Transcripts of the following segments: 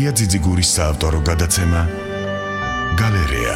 ლია ძიძიგურის საავტორო გადაცემა გალერეა.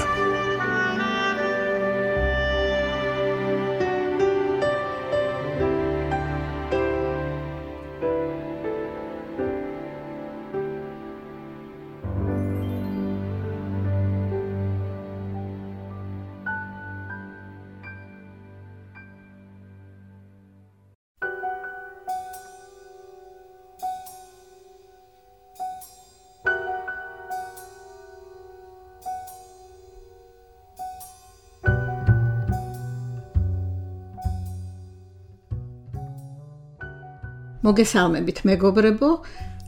მოგესალმებით მეგობრებო,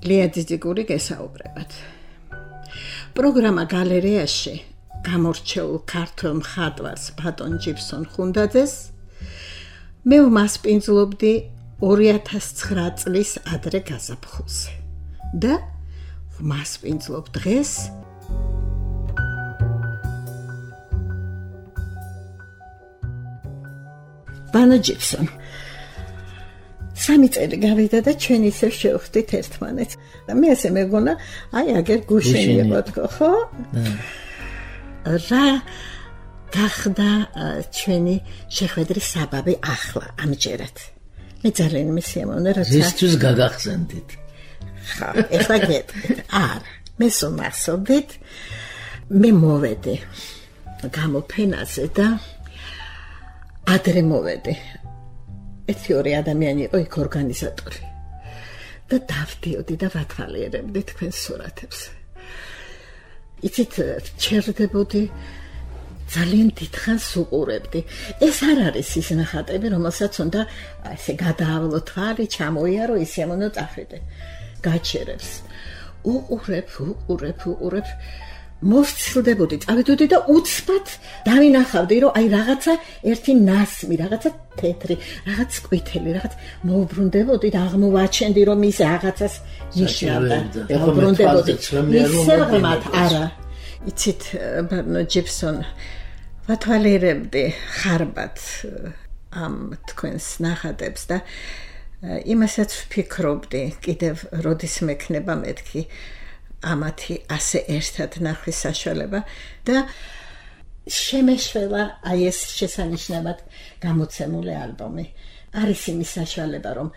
ლია ძიძიგური გესაუბრებათ. პროგრამა გალერეაში გამორჩეულ ქართველ მხატვარს ბატონ ჯიფსონ ხუნდაძეს მე ვმასპინძლობდი 2009 წლის ადრე გაზაფხულზე და ვმასპინძლობ დღეს ბატონ ჯიფსონ. 3 წელი გავიდა და ჩვენ ისევ შევხვდით ერთმანეთს. და მე ასე მეგონა, აი აგერ გუშინი იყო თქო, ხო? რა გახდა ჩვენი შეხვედრის საბაბი ახლა ამჯერად. მე ძალიან მისიამოვნე როცა ზუსტად გაგახსენდით. ხა, ეხლა გეტყვით. არა, მე სომახსოვდით, მე მოვედი გამოფენაზე და ადრე მოვედი. ერთი ორი ადამიანი იყო იქ ორგანიზატორი და დავდიოდი და ვათვალიერებდი თქვენ სურათებს. იცით, ჩერდებოდი, ძალიან დიდხანს უყურებდი. ეს არ არის ის ნახატები, რომელსაც უნდა ესე გადაავლო თვალი, ჩამოიარო, ისემონო წახვიდე. გაჩერებს. უყურებ. მოვცილდებოდი, წავიდოდი და უცბად დავინახავდი, რომ აი რაღაცა ერთი ნასმი, რაღაცა თეთრი, რაღაც ყვითელი, რაღაც მოვბრუნდებოდი და აღმოვაჩენდი, რომ ის რაღაცას ნიშნავდა. მოვბრუნდებოდი. ისევღმათ არა. იცით, ბატონ ჯიფსონ, ვათვალიერებდი ხარბად ამ თქვენს ნახატებს და იმასაც ვფიქრობდი, კიდევ როდის მექნება მეთქი ამათი ასე ერთად ნახვის საშუალება და შემეშველა აი ეს შესანიშნავად გამოცემული ალბომი. არის იმის საშუალება, რომ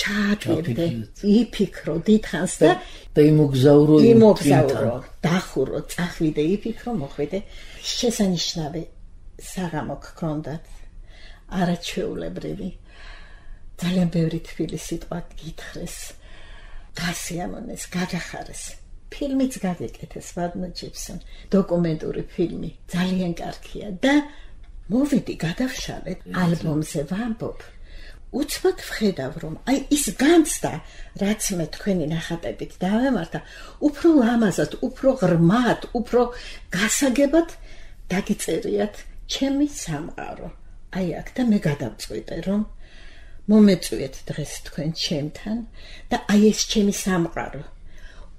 ჩააკვირდე, იფიქრო დიდხანს და იმოგზავრო, დახურო, წახვიდე, იფიქრო, მოხვიდე. შესანიშნავი საღამო გქონდათ, არაჩვეულებრივი. ძალიან ბევრი თბილი სიტყვა გითხრეს. გასიამოვნეს, გაგახარეს. ფილმიც გაგეკეთეს, ბატონ ჯიფსონ. დოკუმენტური ფილმი, ძალიან კარგია და მოვიდი, გადავშალე ალბომზე ვამბობ. უცბად ვხედავ, რომ აი ის განცდა, რაც მე თქვენი ნახატებით დავემართა, უფრო ლამაზად, უფრო ღრმად, უფრო გასაგებად დაგიწერიათ ჩემი სამყარო. აი აქ და მე გადავწყვიტე, რომ მომეწვიეთ დღეს თქვენ ჩემთან და აი ეს ჩემი სამყარო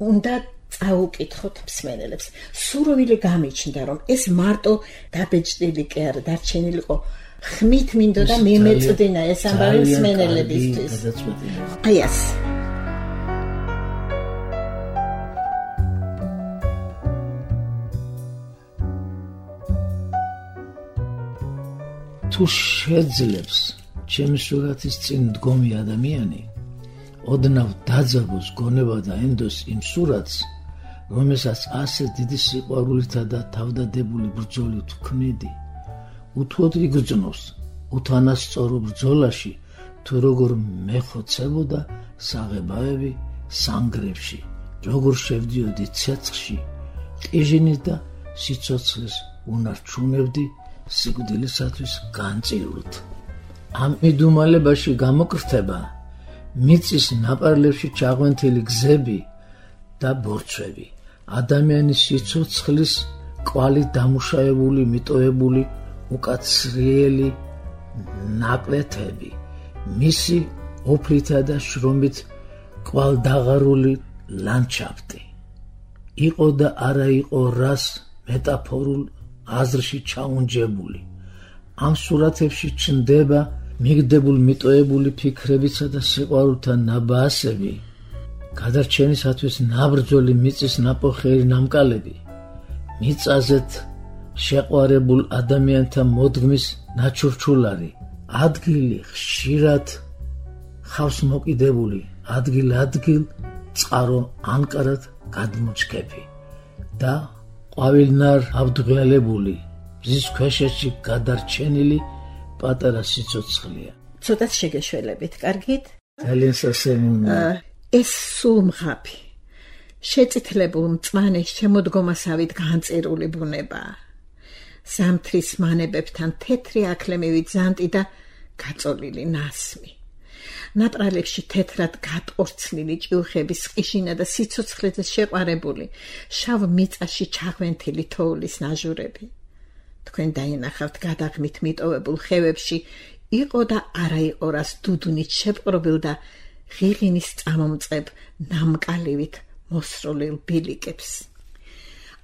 უნდა წაუკითხოთ მსმენელებს. სურვილი გამიჩნდა, რომ ეს მარტო დაბეჭდილი კი არა, დარჩენილიყო ხმით მინდოდა მემეწვდინა ეს ამბავი მსმენელებისთვის. აი ეს თუ შეძლებს ჩემი სურათის წინ მდგომი ადამიანი ოდნავ დაძაბოს გონება და ენდოს იმ სურათს, რომელსაც ასე დიდი სიყვარულითა და თავდადებული ბრძოლით ვქმნიდი, უთუოდ იგრძნობს უთანასწორო ბრძოლაში, თუ როგორ მეხოცებოდა საღებავები სანგრებში, როგორ შევდიოდი ცეცხლში, ყიჟინით და სიცოცხლეს უნარჩუნებდი სიკვდილისათვის განწილვით. ამ მიდუმალებაში გამოკრთება მიწის ნაპარლებში ჩაღვენთილი გზები და ბორცვები, ადამიანის სიცოცხლის კვალით დამუშავებული, მიტოვებული უკაცრიელი ნაკვეთები, მისი ოფლითა და შრომით კვალდაღარული ლანდშაფტი. იყო და არა იყო რას მეტაფორულ აზრში ჩაუნჯებული. ამ სურათებში ჩნდება მიგდებულ მიტოვებული ფიქრებისა და სიყვარულთა ნაბასები, გადარჩენისათვის ნაბრძოლი მიწის ნაპოხერი ნამკალები, მიწაზეთ შეყვარებულ ადამიანთა მოდგმის ნაჩურჩულარი, ადგილი ხშირად ხავს მოკიდებული, ადგილ-ადგილ წყარო ანკარად გადმოჩქეფი და ყვავილნარ ავდღელებული, მზის ქვეშეთში გადარჩენილი პატარა სიცოცხლეა. ცოტაც შეგეშველებით, კარგით? ძალიან სასიამოვნოა. ეს სულ მღაფი, შეწითლებულ მწვანე შემოდგომასავით განწირული ბუნებაა. ზამთრის მანებებთან თეთრი აქლემივი ძანტი და გაწოლილი ნასმი. ნაპრალებში თეთრად გატყორცლილი ჭიუხების ყიშინა და სიცოცხლეზე შეყვარებული შავ მიწაში ჩაღვენთილი თოვლის ნაჟურები. თქვენ დაინახავთ გადაღმით მიტოვებულ ხევებში იყო და არა იყო რას დუდუნით შეპყრობილ და ღიღინის წამომწებ ნამკალივით მოსროლილ ბილიკებს.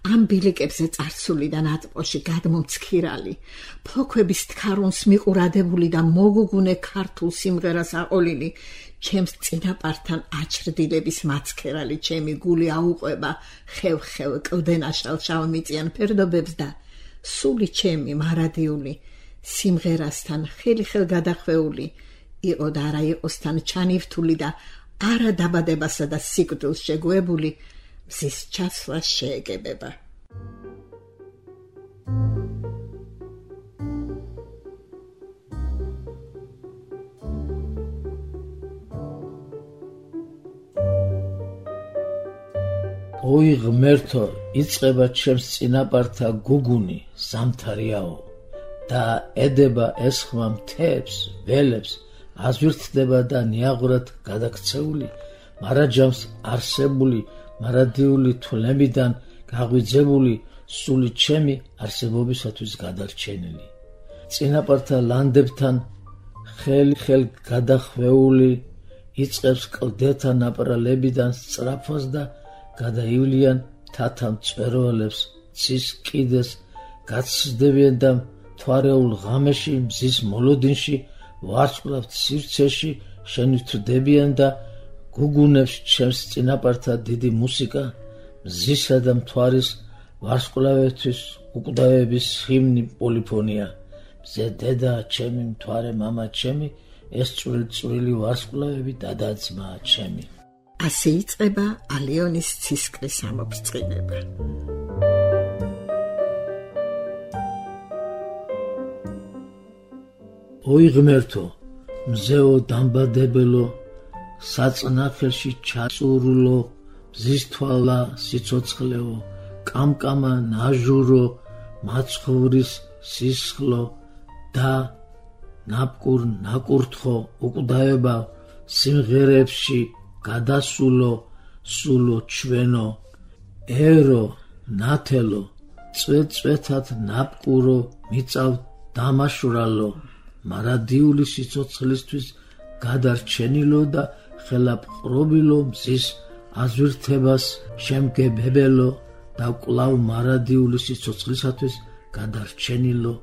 ამ ბილიკებზე წარსული და ნატყოში გადმომცქირალი, ფოქვების თქარუნს მიყურადებული და მოგუგუნე ქართულ სიმღერას აყოლილი, ჩემს წინაპართან აჩრდილების მაცქერალი ჩემი გული აუყვება ხევ-ხევ კლდენაშალ შავმიწიან ფერდობებს და სული ჩემი მარადიული სიმღერასთან ხელი-ხელ გადახვეული იყო და არა იყოსთან ჩანივთული და არა დაბადებასა და სიკვდილს შეგუებული მზის ჩასვლა შეეგებება. ოი ღმერთო, იწყება ჩემს წინაპართა გუგუნი, ზამთარიაო და ედება ესხმა მთებს, ველებს, აზვირთდება და ნიაღურად გადაქცეული, მარაჯამს არსებული მარადიული თვლებიდან გაღვიძებული სული ჩემი არსებობისათვის გადარჩენილი. წინაპართა ლანდებთან ხელ-ხელ გადახვეული იწყებს კლდეთა ნაპრალებიდან სწრაფას და გადაივლიან თათა მწვერვალებს, ცის კიდეს გაცსდებიან და მთვარეულ ღამეში, მზის მოლოდინში, ვარსკვლავთ სივრცეში შენივთრდებიან და გუგუნებს ჩემს წინაპართა დიდი მუსიკა, მზისა და მთვარის ვარსკვლავებთვის უკვდავების ჰიმნი პოლიფონია. მზე დედა ჩემი, მთვარე მამა ჩემი, ეს წვრილი ვარსკვლავები დადაძმა ჩემი. ასე იწყება ალიონის ცისკრის ამოფრწყინება. ოი ღმერთო, მზეო დამბადებელო, საწნახელში ჩაწურულო, მზის თვალა სიცოცხლეო, კამკამა ნაჟურო, მაცხოვრის სისხლო და ნაპკურ ნაკურთხო უკვდავება სიმღერებში გადასულო, სულო ჩვენო, ერო, ნათელო, წვეთ-წვეთად ნაპკურო, მიწავ დამაშვრალო, მარადიული სიცოცხლისთვის გადარჩენილო და ხელაპყრობილო მზის აზვირთებას შემგებებელო და კვლავ მარადიული სიცოცხლისათვის გადარჩენილო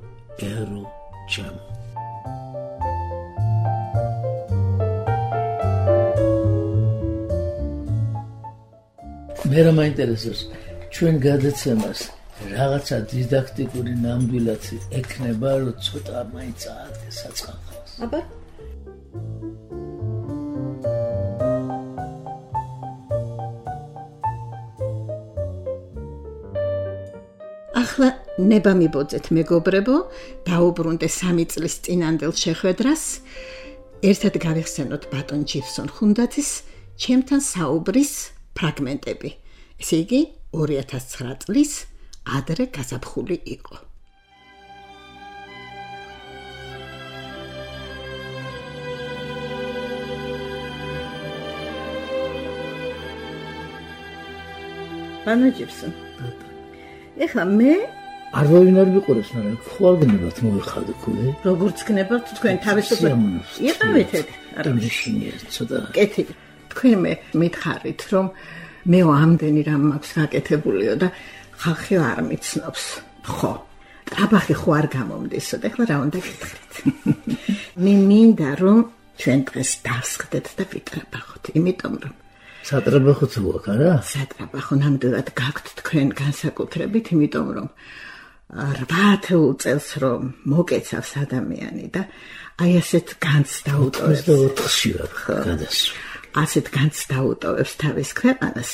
ერო ჩემო. მე რა მაინტერესებს ჩვენ გადაცემას რაღაცა დიდაქტიკური ნამდვილად ექნება, რომ ცოტა მაინც აადგეს საწყალხოს. აბა ახლა ნება მიბოძეთ მეგობრებო, დაუბრუნდე 3 წლის წინანდელ შეხვედრას, ერთად გავიხსენოთ ბატონ ჯიფსონ ხუნდაძის ჩემთან საუბრის ფრაგმენტები. ესე იგი 2009 წლის ადრე გაზაფხული იყო. ბატონ ჯიფსონ, ეხლა მე არ ვინარ ვიყურებს, მაგრამ ხვალგნებად მოვიხადე ქულე. როგორც გნებავთ თქვენ თავისუფლად იყავით ეგ? არა მიშინია ცოტა. კეთილი. თქვენ მე მითხარით, რომ მე ამდენი რამ მაქვს გაკეთებულიო და ხალხი არ მიცნობს. ხო. ტრაბახი ხო არ გამომდისო და ეხლა რა უნდა გითხრით? მე მინდა რომ ჩვენ დღეს დავსხდეთ და ვიტრაბახოთ, იმიტომ რომ სატრაბახო თუ აქვს არა? სატრაბახო ნამდვილად გაქვთ თქვენ განსაკუთრებით, იმიტომ რომ 8 წელს რომ მოკეცავს ადამიანი და აი ასეთ განს დაუტოვებს 24-ში ვარ გადასულ. ასეთ განს დაუტოვებს თავის ქვეყანას.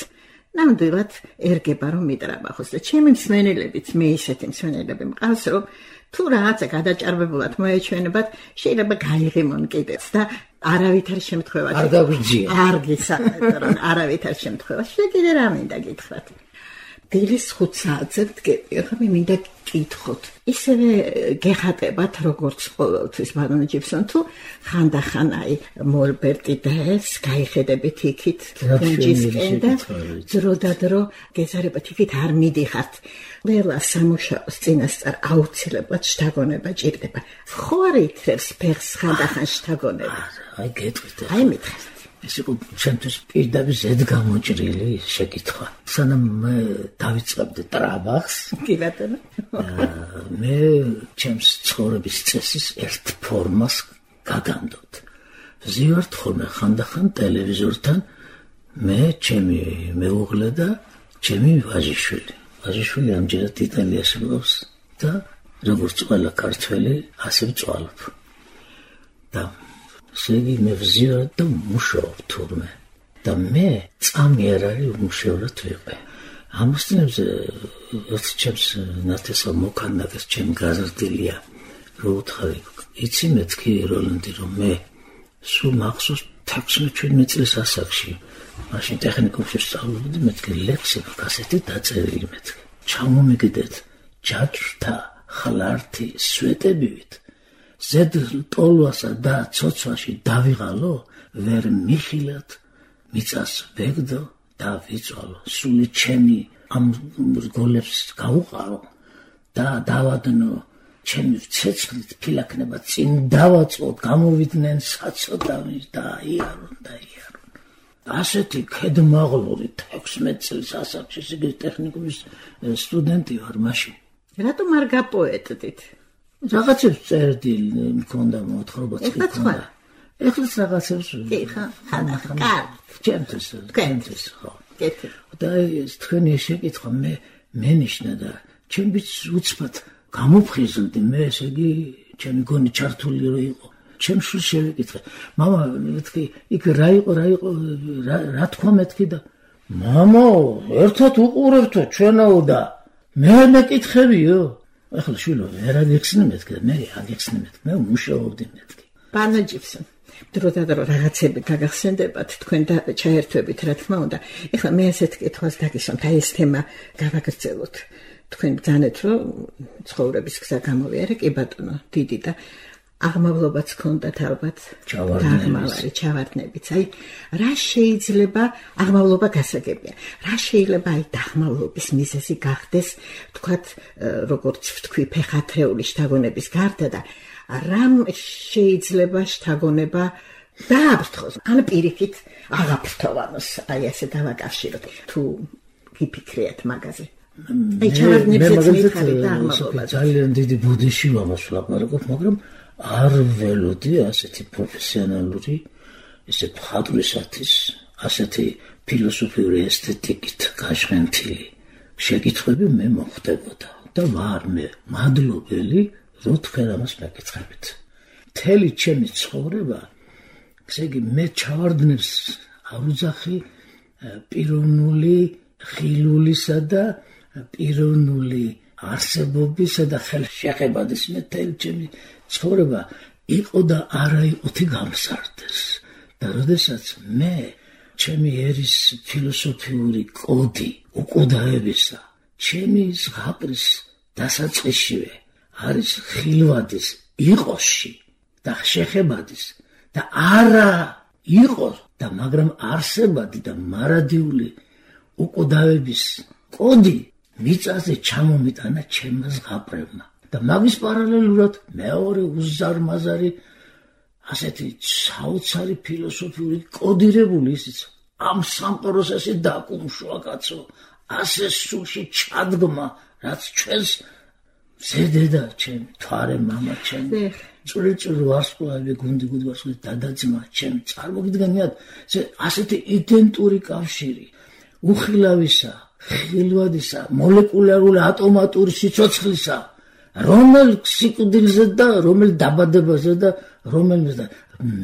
ნამდვილად ერგება რომ მიტრაბახოს და ჩემი მსმენელებიც მე ისეთი მსმენელები მყავს რომ თუ რაღაცა გადაჭარბებულად მოეჩვენებათ შეიძლება გაიღიმონ კიდეც და არავითარ შემთხვევაში არ გაგვიძია. არ გისაუბრეთ რომ არავითარ შემთხვევაში კიდე რა მინდა გითხრათ. დილის 5 საათზე ვდგები, ახლა მე მინდა გკითხოთ. ისევე გეხატებათ როგორც ყოველთვის ბარონი ჯიბსონ თუ ხანდახან აი მოლბერტი დას გაიხედებით იქით კუნჯისკენ და ძროდადრო გეზარებათ იქით არ მიდიხართ. ყველა სამუშაოს წინასწარ აუცილებლად შთაგონება ჭირდება. ხო არ ითრევს ფეხს ხანდახან შთაგონება? აი გეტყვით. აი მითხარით. ეს იყო ჩემთვის პირდაპირ ზედგამოჭრილი შეკითხვა. სანამ მე დავიწყებდი ტრაბახს, კი ბატონო. მე ჩემს ცხოვრების წესის ერთ ფორმას გაგამდობთ. ვზივართ ხოლმე ხანდახან ტელევიზორთან მე, ჩემი მეუღლე და ჩემი ვაჟიშვილი. ვაჟიშვილი ამჯერად იტალიაში მყოფს და როგორც ყველა ქართველი, ასე ვწვალობ. და შეგი მე ვზიარებ და მუშაობ თურმე და მე წამი არ არის უმუშევრად ვიყე. ამასთანავე ერთ ჩემს ნათესავ მოქანდაკეს ჩემ გაზრდილია რო უთხარი იცი მეთქი როლანდი რომ მე სულ მახსოვს 16-17 წლის ასაკში მაშინ ტექნიკუმში სწავლობდი მეთქი ლექსები კასეტი დაწერილი მეთქი ჩამომიგდეთ ჯაჭვთა ხლართი სვეტებივით ზედ ტოლვასა და ცოცვაში დავიღალო ვერ მიხილად მიწას ვეგდო და ვიწვალო სული ჩემი ამ გოლებს გაუყარო და დავადნო ჩემი ცეცხლით ფილაქნება წინ დავაწყოთ გამოვიდნენ საცოდავი და აიარონ ასეთი ქედმაღლური 16 წლის ასაკში სიგე ტექნიკუმის სტუდენტი ვარ მაშინ რატომ არ გაპოეტდით რაღაცებს წერდი მქონდა მოთხრობაც მქონდა ეხლა რაღაცებს კი ხა ჩემთვის ხო კეთილ და ეს თქვენი შეკითხვა მე მენიშნა და ჩემიც უცბად გამოფხიზლდი მე ესე იგი ჩემი გონი ჩართული რო იყო ჩემ შვილს შევეკითხე მამა მეთქი იქ რა იყო რა თქვა მეთქი და მამა ერთად უყურებთო ჩვენაო და მე მეკითხებიო ახლა შვილო ვერ აგეხსნე მეთქი და მე აგეხსნე მეთქი მე მუშაობდი მეთქი ბარონი ჯიბსონ დროდადრო რაღაცები გაგახსენდებათ თქვენ და ჩაერთვებით რა თქმა უნდა ეხლა მე ასეთ კითხვას დაგისვამთ აი ეს თემა გავაგრძელოთ თქვენ ბრძანეთ რომ ცხოვრების გზა გამოვიარე კი ბატონო დიდი და აღმავლობაც ქონდათ ალბათ ჩავარდნები ჩავარდნებიც აი რა შეიძლება აღმავლობა გასაგებია რა შეიძლება აი დაღმავლობის მიზეზი გახდეს თქვათ როგორც ვთქვი ფეხათრეული შთაგონების გარდა და რამ შეიძლება შთაგონება დააფრთხოს ან პირიქით აღაფრთოვანოს აი ასე დავაკავშიროთ თუ გიფიქრიათ მაგაზე აი ჩავარდნებსაც მითხარით და აღმავლობაზე ძალიან დიდი ბუდიში ვამას ვლაპარაკობ მაგრამ არ ველოდი ასეთი პროფესიონალური ესე მხატვრისათვის ასეთი ფილოსოფიური ესთეტიკით გაშენთილი შეკითხვები მე მოხდებოდა და ვარ მე მადლობელი რომ თქვენ ამას მეკითხებით მთელი ჩემი ცხოვრება ესე იგი მე ჩავარდნებს არ უძახი პიროვნული ხილულისა და პიროვნული არსებობისა და ხელშეყებადის მე მთელი ჩემი ცხოვრება იყო და არა იყოთი გამსარდეს და როდესაც მე ჩემი ერის ფილოსოფიური კოდი უკვდაებისა ჩემი ზღაპრის დასაწყისშივე არის ხილვადის იყოსში და შეხებადის და არა იყოს და მაგრამ არსებადი და მარადიული უკვდავების კოდი მიწაზე ჩამომიტანა ჩემმა ზღაპრებმა და მაგის პარალელურად მეორე უზარმაზარი ასეთი საოცარი ფილოსოფიური კოდირებული ისიც ამ სამყაროს ასე დაკუმშვა კაცო ასე სულში ჩადგმა რაც ჩვენს ზედედა ჩემი თვარე მამა ჩემი წვრილ ვარსკვლავები გუნდი ვარსკვლავი დადაძმა ჩემ წარმოგიდგენიათ ასეთი იდენტური კავშირი უხილავისა ხილვადისა მოლეკულარული ატომატური სიცოცხლისა რომელ სიკვდილზე და რომელ დაბადებაზე და რომელმეზე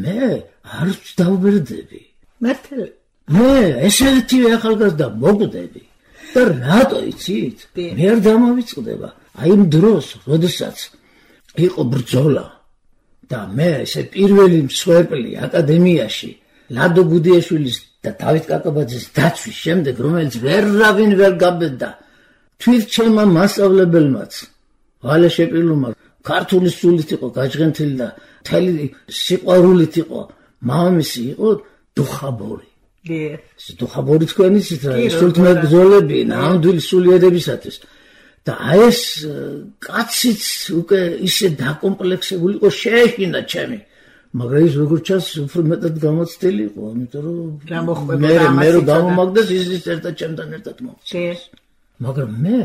მე არ დავბერდები მართლა მე ესეთივე ახალგაზრდა მოკვდები და რატო იცით მე არ დამავიწყდება აი იმ დროს როდესაც იყო ბრძოლა და მე ესე პირველი მსხვერპლი აკადემიაში ლადო გუდიაშვილის და დავით კაკაბაძის დაცვის შემდეგ რომელიც ვერავინ ვერ გაბედდა თვით ჩემმა მასწავლებელმაც ვალე შეპილუმა ქართული სულით იყო გაჯღენთილი და მთელი სიყვარულით იყო მამამისი იყო დუხაბორი დუხაბორი თქვენ იცით რა სულთმეტ ბრძოლები ნამდვილი სულიერებისათვის და ეს კაციც უკვე ისე დაკომპლექსებული იყო შეეშინა ჩემი მაგრამ ის როგორც ჩანს უფრო მეტად გამოცდილი იყო ამიტომ რომ მე რო გამომაგდეს ის ერთად ჩემთან ერთად მოხდეს მაგრამ მე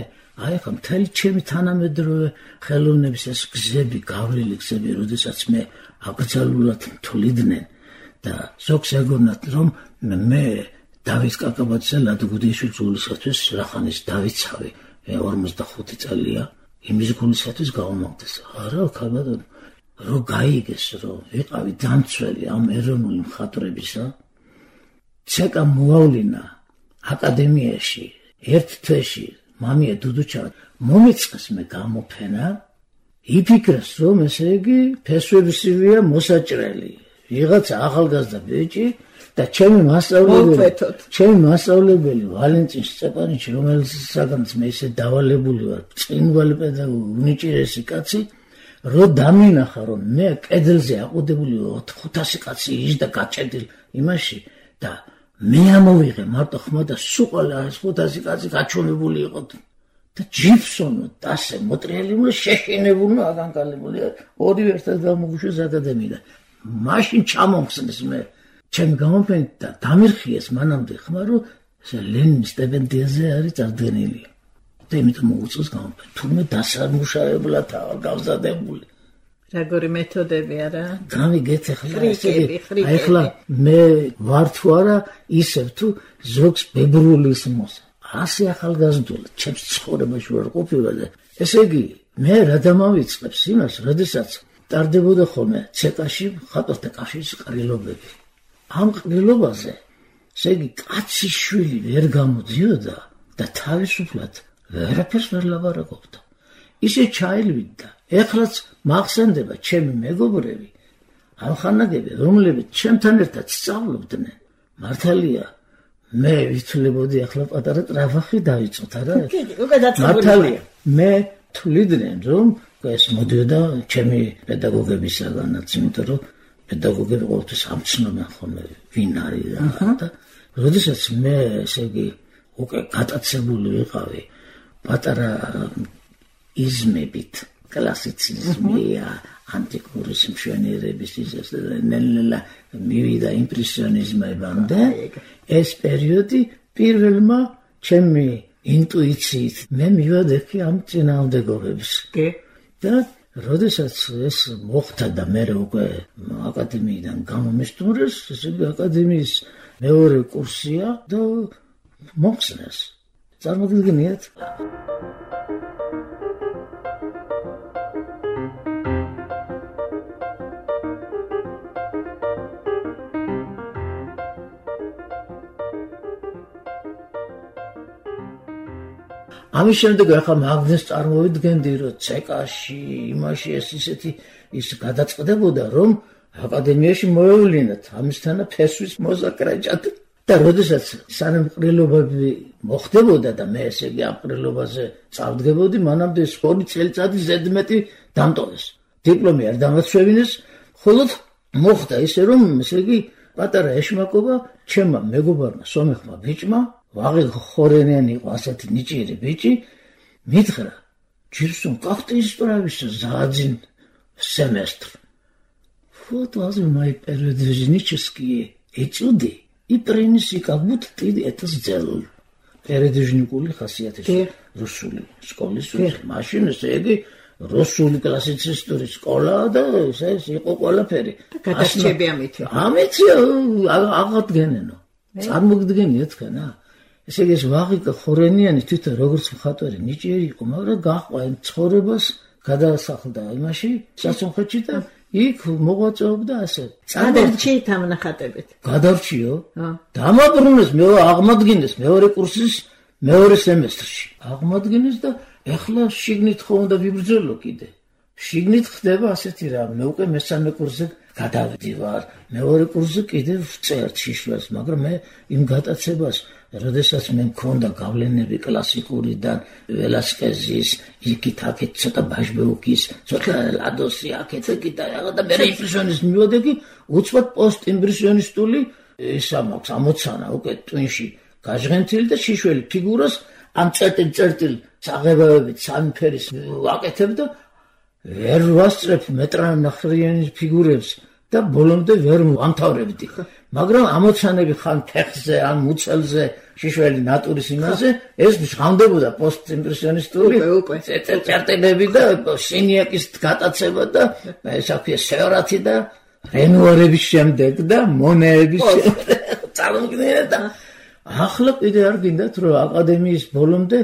აი ახლა მთელი ჩემი თანამედროვე ხელოვნების ეს გზები გავლილი გზები როდესაც მე აკრძალულად თვლიდნენ და ზოგს ეგონათ რომ მე დავით კაკაბაძე ლადო გუდიაშვილის გულისათვის რახანის დავიცავი 45 წელია იმის გულისათვის გავამაგდეს არა ქალბატონო რო გაიგეს რომ ვიყავი დამცველი ამ ეროვნული მხატვრებისა ცეკა მოავლინა აკადემიაში ერთ თვეში მამია დუდუჩავა მომიწყეს მე გამოფენა იფიქრეს რომ ესე იგი ფესვებისივია მოსაჭრელი ვიღაცა ახალგაზრდა ბიჭი და ჩემი მასწავლებელი ვალენტინ სტეპანიჩი რომელსაც მე ისე დავალებული ვარ წინვალი პედაგოგი უნიჭიერესი კაცი რო დამინახა რომ მე კედელზე აყუდებული 500 კაცი იჯდა გაჭედილი იმაში და მე ამოვიღე მარტო ხმა და სუყალა 500 კაცი გაჩვენებული იყო და ჯიფსონო დასე მოტრიალებული შეშინებული აგანკალებული ორივე ერთად გამოგუშვეს აკადემიიდან მაშინ ჩამომხსნეს მე ჩემი გამოფენით და დამირხიეს მანამდე ხმა რომ ლენინის სტიპენდიაზე არის წარდგენილი და იმით მოუწევს გამოფენა თურმე დასამუშავებლად გავზადებული როგორი მეთოდები არა გამიგეთ ახლა მე ვარ თუ არა ისევ თუ ზოგს ბებრულის მოსა ასე ახალგაზრდულად ჩემს ცხოვრებაში ვარ ყოფილი ესე იგი მე რა დამავიწყებს იმას როდესაც ტარდებოდა ხოლმე ცეკაში ხატვათა კავშირის ყრილობები ამ ყრილობაზე ესე იგი კაცის შვილი ვერ გამოდიოდა და თავისუფლად ვერაფერს ვერ ლაპარაკობდა ისე ჩაილვიდა ეხლაც მახსენდება ჩემი მეგობრები ამხანაგები რომლებიც ჩემთან ერთად სწავლობდნენ მართალია მე ვითვლებოდი ახლა პატარა ტრაფახი დავიწყოთ არა მართალია მე თვლიდნენ რომ ეს მოდიოდა ჩემი პედაგოგებისაგანაც იმიტომ რომ პედაგოგები ყოველთვის ამცნობენ ხოლმე ვინ არის და როდესაც მე ესე იგი უკვე გატაცებული ვიყავი პატარა იზმებით კლასიციზმია ანტიკური მშვენიერების ის ნელ-ნელა მივიდა იმპრესიონიზმებამდე ეს პერიოდი პირველმა ჩემი ინტუიციით მე მივადექი ამ წინააღმდეგობებს და როდესაც ეს მოხდა და მე უკვე აკადემიიდან გამომისტუმრეს ესე იგი აკადემიის მეორე კურსია და მოხსნეს წარმოგიდგენიათ ამის შემდეგ ახლა მაგნეს წარმოვიდგენდი რომ ცეკაში იმაში ეს ისეთი ის გადაწყდებოდა რომ აკადემიაში მოევლინათ ამისთანა ფესვის მოზაკრაჭად და როდესაც სანამ ყრილობები მოხდებოდა და მე ესე იგი ამ ყრილობაზე წავდგებოდი მანამდე 2 წელიწადი ზედმეტი დამტოვეს დიპლომი არ დამაცვევინეს ხოლოდ მოხდა ისე რომ ესე იგი პატარა ეშმაკობა ჩემმა მეგობარმა სომეხმა ბიჭმა ვაღი ხორენიანი იყო ასეთი ნიჭიერი ბიჭი მითხრა ჯირსონ как ты исправишься за один семестр вот возьмай передвижнические этюды и принеси как будто ты это сделал передвижникული ხასიათის რუსული სკოლის მაშინ ესე იგი რუსული კლასიცისტური სკოლა და ეს იყო ყველაფერი. გადარჩები ამითი. ამითი აღადგენენო. წარმოგიდგენიათ თქვენ, ესე იგი ეს ვაღიკა ხორენიანი თვითონ როგორც მხატვარი ნიჭიერი იყო, მაგრამ გაყვა ცხოვრებას გადაასახლდა იმაში, სასუნხეთში და იქ მოღვაწეობდა ასე. გადარჩით ამ ნახატებით. გადარჩიო? დამაბრუნეს, აღმადგინეს მეორე კურსის მეორე სემესტრში. აღმადგინეს და ეხლა შიგნით ხომ უნდა ვიბრძოლო კიდე. შიგნით ხდება ასეთი რამ, მე უკვე მესამე კურსზე გადავდივარ. მეორე კურსზე კიდე ვწერთ შიშველს, მაგრამ მე იმ გატაცებას, როდესაც მე მქონდა გავლენები კლასიკურიდან, ველასკეზის, იქით-აქეთ ცოტა ბაჟბეუკის, ცოტა ლადოსი აქეთ და რაღაც და მე იმპრესიონიზმი მივოდი, უცბად პოსტ-იმპრესიონისტული ისა მაქვს ამოცანა უკვე ტვინში გაჟღენთილი და შიშველი ფიგურას ამ წერტილ საღებავებით სამი ფერის ვაკეთებ და ვერ ვასწრებ მეტრანახრიანის ფიგურებს და ბოლომდე ვერ ვამთავრებდი. მაგრამ ამოცანები ხან ფეხზე, ან მუცელზე, შიშველი ნატურის იმაზე, ეს ჟღავდებოდა პოსტ-იმპრესიონისტული წერტილები და სინიაკის გატაცება და ესა ქვია სეორათი და რენუარების შემდეგ და მონეების შემდეგ. წარმოგიდგენთ და ახლა კიდე არ გინდათ რომ აკადემიის ბოლომდე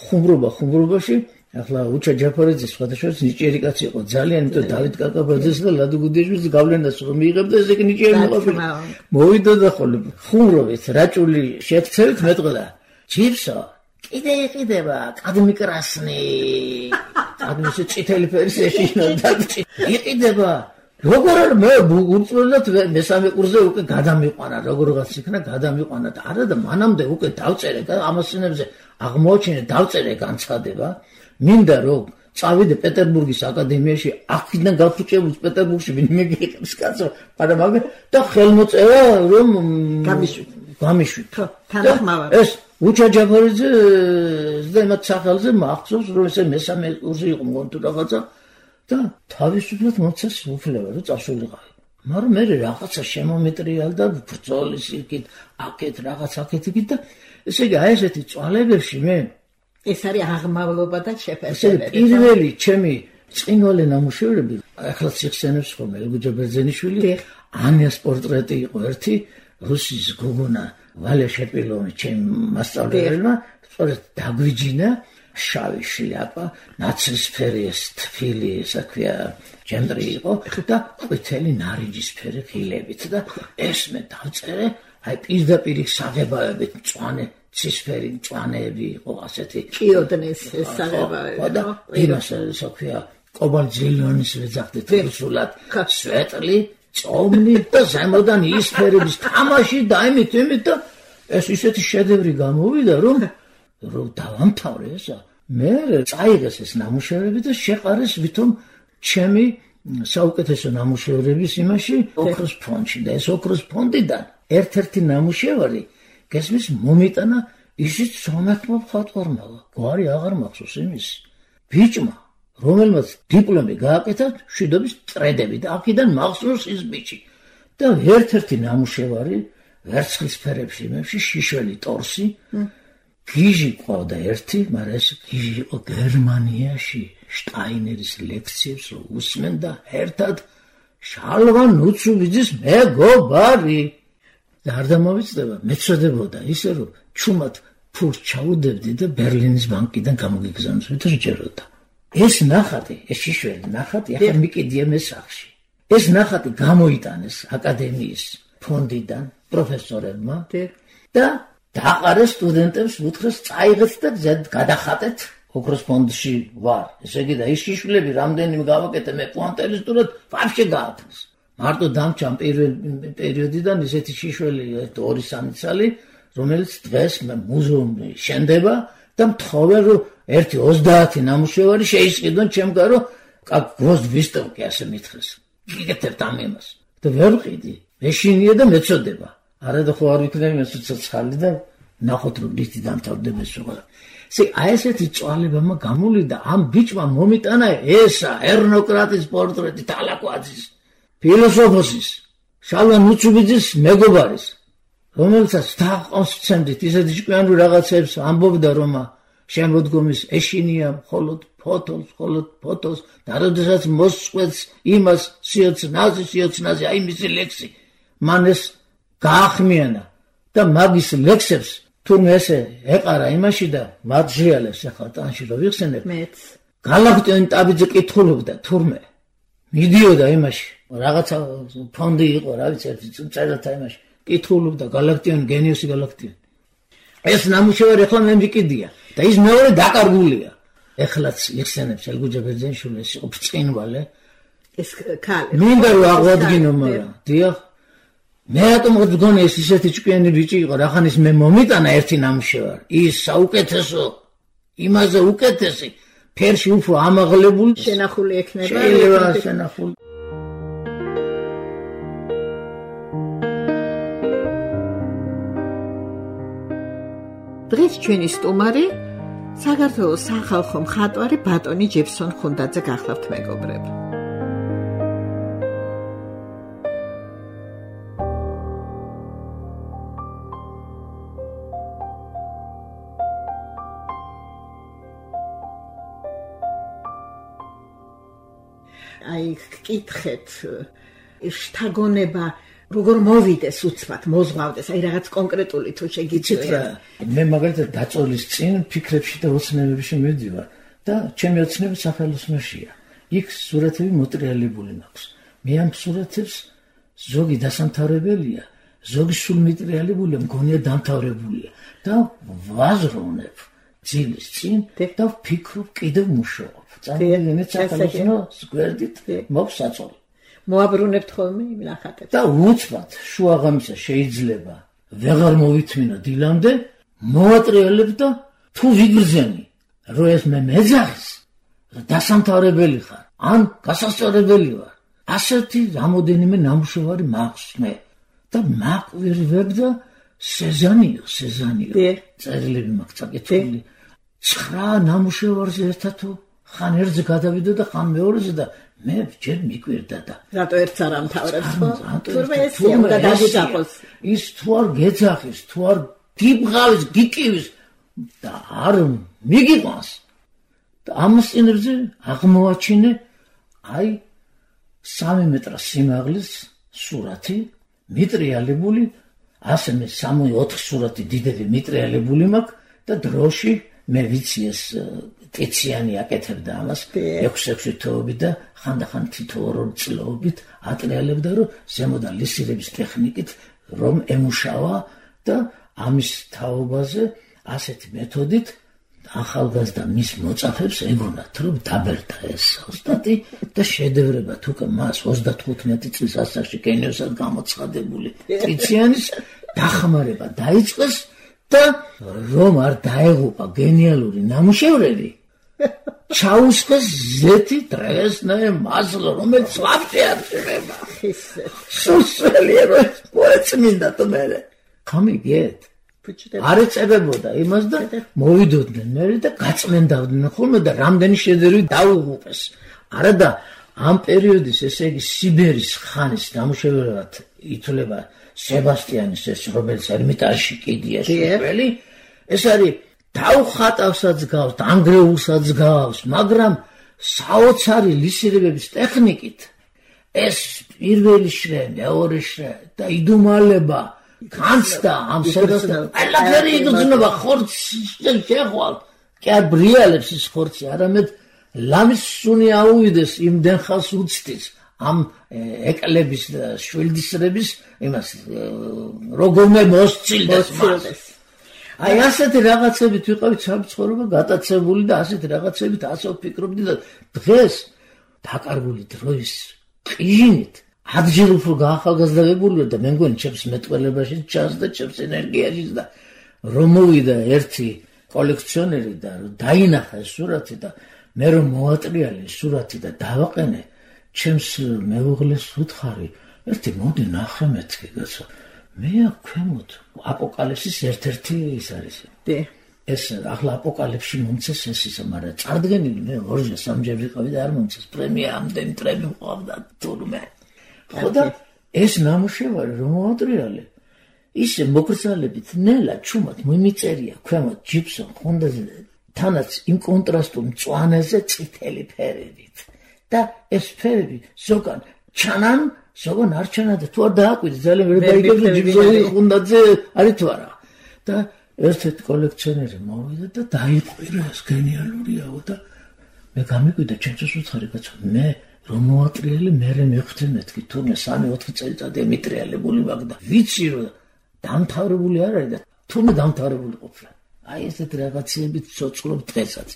ხუმრობაში ახლა უჩა ჯაფარიძე სხვადასხვა ნიჭიერი კაცი იყო ძალიან, იმიტომ დავით კაკაბაძეს და ლადო გუდიაშვილის გავლენას რომ მიიღებდა, ესე იგი ნიჭიერი მოყოლი. მოვიდა და ხოლმე ხუმრობით, რაჭული შექცევით მეტყოდა. ჯიბსო, კიდე იყიდება კადმიკრასნი. კადმისი წითელი ფერის ეშინოდა. იყიდება. როგორ არ მე უწოდოთ მესამე კურსზე უკვე გადამიყვანა, როგორღაც იქნა გადამიყვანა და არა და მანამდე უკვე დავწერე და ამასინებზე აღმოჩინე დავწერე განცხადება. მინდა რომ წავიდე პეტერბურგის აკადემიაში, აქედან გაფუჭებულს პეტერბურგში ვინმე გიყავს კაცო, მაგრამ და ხელმოწერა რომ გამიშვით. თანახმავარ. ეს უჩა ჯაფარიძე და მათ სახელზე მახსოვს რომ ესე მესამე კურსი იყო მგონი თუ რაღაცა და თავისუფლად მოცეს უფლება რომ წასულიყავი. მაგრამ მე რაღაცა შემომეტრიალდა ბრძოლის იქით, აქეთ რაღაც აქეთ იქით და ესე იგი აი ესეთი წვალებებში მე ეს არის აღმავლობა და შეფასებები. პირველი ჩემი წინვალე ნამუშევრები, ახლა ციხსენებს ხოლმე ელგუჯა ბერძენიშვილი, ანიას პორტრეტი იყო ერთი, რუსის გოგონა ვალე შეპილოვი ჩემ მასწავლებელმა, სწორედ დაგვიჯინა შავი შლიაპა, ნაცრისფერი ეს თბილი, ესა ქვია, ჯემდრი იყო და ყვითელი ნარინჯისფერი ღილებით და ეს მე დავწერე, აი პირდაპირ საღებავებით მწვანე ცისფერი მწვანეები იყო ასეთი კიოდნეს საღებავები და იმას ესა ქვია კობალტ-ზელონის ვეძახდით რუსულად სვეტლი წომნი და ზემოდან ისფერების თამაში და იმით და ეს ისეთი შედევრი გამოვიდა რომ დავამთავრე ესა მე წაიღეს ეს ნამუშევრები და შეყარეს ვითომ ჩემი საუკეთესო ნამუშევრების იმაში ოქროს ფონდში და ეს ოქროს ფონდიდან ერთ-ერთი ნამუშევარი გესმის მომიტანა ისიც სომეხმა მხატვარმა გვარი აღარ მახსოვს იმის ბიჭმა რომელმაც დიპლომი გააკეთა მშვიდობის წრედები და აქედან მახსოვს ის ბიჭი და ერთ-ერთი ნამუშევარი ვერცხლის ფერებში იმებში შიშველი ტორსი გიჟი ყავდა ერთი, მაგრამ ეს გიჟი იყო გერმანიაში შტაინერის ლექციებს უსმენდა ერთად შალვან ნუცუბიძის მეგობარი და არ დამოვიწყდება მეცოდებოდა ისე რომ ჩუმად ფულს ჩაუდებდი და ბერლინის ბანკიდან გამოგიგზავნოს ვიტრიჯეროდა ეს ნახატი ეს შიშველი ნახატი ახლა მიკიდია მე სახში ეს ნახატი გამოიტანეს აკადემიის ფონდიდან პროფესორებმა და დაყარეს სტუდენტებს უთხრეს წაიღეთ და გადახატეთ ოქროს ფონდში ვარ ესე იგი და ის შიშვლები რამდენიმე გავაკეთე მე კვანტალისტურად ვაფშე გაათმის მარტო დამჭამ პირველ პერიოდიდან ისეთი შიშველი 2-3 წელი რომელიც დღეს მუზეუმში შენდება და მთხოვენ რომ 1-30 ნამუშევარი შეისყიდონ ჩემ გარო გროზ ვისტოვკი ასე მითხრეს გიგეთებთ ამ იმას და ვერ ვყიდი მეშინია და მეწოდება არა და ხო არ ვიქნები მე ცოცხალი და ნახოთ რომ ლისტი დამთავრდება სულ. ესე აი ესეთი წვალებამა გამოვიდა ამ ბიჭმა მომიტანა ესა ერნოკრატის პორტრეტი თალაკვაძის ფილოსოფოსის შალვა ნუცუბიძის მეგობარის რომელსაც დაყავს ცემდით ისეთი ჭკვიანური რაღაცებს ამბობდა რომ შემოდგომის ეშინია მხოლოდ ფოთოლს და როდესაც მოსწყვეტს იმას სიოცნაზე აი მისი ლექსი მან ეს გაახმიანა და მაგის ლექსებს თურმე ესე ეყარა იმაში და მაძიალებს ახლა ტანში რო ვიხსენებ მეც გალაქტიონ ტაბიძე კითხულობდა თურმე მიდიოდა იმაში რაღაცა ფონდი იყო რა ვიცი ერთი წერათა იმაში კითხულობდა გალაქტიონ გენიოსი გალაქტიონ ეს ნამუშევარი ახლა მე მიკიდია და ის მეორე დაკარგულია ეხლაც იხსენებს ელგუჯა ბერძენიშვილი ეს იყო ბრწყინვალე ეს ქალი მინდა რომ აღვადგინო მაგრამ დიახ მე რატომ მგონი ეს ისეთი ჭკვიანი ბიჭი იყო რახანის მე მომიტანა ერთი ნამუშევარი ის საუკეთესო იმაზე უკეთესი ფერში უფრო ამაღლებული შენახული ექნება შეიძლება შენახული დღეს ჩვენი სტუმარი საქართველოს სახალხო მხატვარი ბატონი ჯეფსონ ხუნდაძე გახლავთ მეგობრები. აი გკითხეთ შთაგონება როგორ მოვიდეს უცბად მოზღვავდეს აი რაღაც კონკრეტული თუ შეგიძლიათ მე მაგალითად დაწოლის წინ ფიქრებში და ოცნებებში მივდივარ და ჩემი ოცნები სახელოსნოშია იქ სურათები მოტრიალებული მაქვს მე ამ სურათებს ზოგი დასამთავრებელია ზოგი სულ მიტრიალებულია მგონია დამთავრებულია და ვაზროვნებ ძილის წინ და ვფიქრობ კიდევ მუშაობ წამოვიდეთ სახელოსნოს გვერდით მოვსაწოლ მოაბრუნებთ ხოლმე იმ ნახატებს და უცბად შუაღამისა შეიძლება ვეღარ მოვითმინა დილამდე მოვატრიალებ და თუ ვიგრძენი რომ ეს მე მეძახის დასამთავრებელი ხარ ან გასასწორებელი ვარ ასეთი რამოდენიმე ნამუშევარი მაქვს მე და მაკვირვებ და სეზანიო წერილები მაქვს წაკითხული 9 ნამუშევარზე ერთად ხან ერთზე გადავიდო და ხან მეორეზე და მე ჯერ მიკვირდა და რატო ერთს არ ამთავრებს ხო? თურმე ესია უნდა დაგიძახოს. ის თუ არ გეძახის, თუ არ გიბღავის, გიკივის და არ მიგიყვანს. და ამასწინებზე აღმოაჩინე აი 3 მეტრ სიმაღლის სურათი, მიტრიალებული, ასე მე 3-4 სურათი დიდები მიტრიალებული მაქვს და დროში მე ვიცი ეს ტიციანი აკეთებდა ამას 6-6 თვეობით და ხანდახან თითო-2 წლობით ატრიალებდა რომ ზემოდან ლისირების ტექნიკით რომ ემუშავა და ამის თაობაზე ასეთი მეთოდით ახალგაზრდა მის მოწაფებს ეგონათ რომ დაბერდა ეს ოსტატი და შედევრებად უკვე მას 35 წლის ასაკში გენიოსად გამოცხადებული ტიციანის დახმარება დაიწყეს და რომ არ დაეღუპა გენიალური ნამუშევრები ჩაუსხეს ზეთი დრესნე მასლო რომელიც ლაფტე არ შეიძლება სუსელი რომ მოეწმინდა თმერე გამიგეთ არ ეწებებოდა იმას და მოვიდოდნენ მე და გაწმენდავდნენ ხოლმე და რამდენი შედევრი დაუღუპეს არა და ამ პერიოდის ესე იგი სიბერის ხანის ნამუშევრად ითვლება სებასტიანის ეს რომელიც ერმიტაჟში კიდია შეფელი ეს არის დაუხატავსაც გავს ანგრეულსაც გავს მაგრამ საოცარი ლისირებების ტექნიკით ეს პირველი შრე მეორე შრე და იდუმალება განცდა ამ სებასტიან ყველაფერი იგრძნობა ხორცს შეხვალ კი არ ბრიალებს ის ხორცი არამედ ლამის სუნი აუვიდეს იმდენ ხალს უცდის ამ ეკლების და შვილდისრების იმას როგორმე მოსწილდეს მას აი ასეთი რაღაცებით ვიყავით სამწუხაროა გატაცებული და ასეთი რაღაცებით ასე ვფიქრობდი და დღეს დაკარგული დროის ყიჟინით ადჯერ უფრო გაახალგაზრდებული და მე მგონი ჩემს მეტყველებაში ჩანს და ჩემს ენერგიაში და რომ მოვიდა ერთი კოლექციონერი და დაინახა ეს სურათი და მე რომ მოატრიალე სურათი და დავაყენე ჩემს მეუღლეს უთხარი ერთი მოდი ნახე მეთქი კაცო მე აქ ქვემოთ აპოკალიფსის ერთ-ერთი ის არის ეს ახლა აპოკალიფსში მომცეს ეს ისა მაგრამ წარდგენილი მე 2-3 ვიყავი და არ მომცეს პრემია ამდენი ტრები მყავდა თურმე ხოდა ეს ნამუშევარი რომ მოატრიალე ისე მოგრძალებით ნელა ჩუმად მიმიწერია ქვემოთ ჯიფსონ ხუნდაძე თანაც იმ კონტრასტულ მწვანეზე წითელი ფერებით და ეს ფერები ზოგან ჩანან ზოგან არ ჩანან და თუ არ დააკვირდეთ ძალიან ვერ გაიგებს ჯიბზორი ხუნდაძე არის თუ არა და ერთ-ერთი კოლექციონერი მოვიდა და დაიყვირა ეს გენიალურიაო და მე გამიკვირდა ჩემთვის უცხარი კაცო მე რომ მოატრიალე მე მეხუთე მეთქი თურმე 3-4 წელიწადი ემიტრიალებული მაგ და ვიცი რომ დამთავრებული არ არის და თურმე დამთავრებული ყოფილა აი ესეთ რაღაცეებით ცოცხლობ დღესაც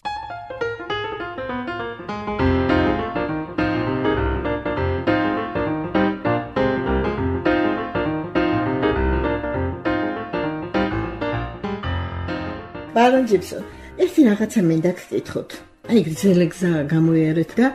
ბარონ ჯიბსონ, ერთი რაღაცა მინდა გკითხოთ. აი გრძელი გზა გამოიარეთ და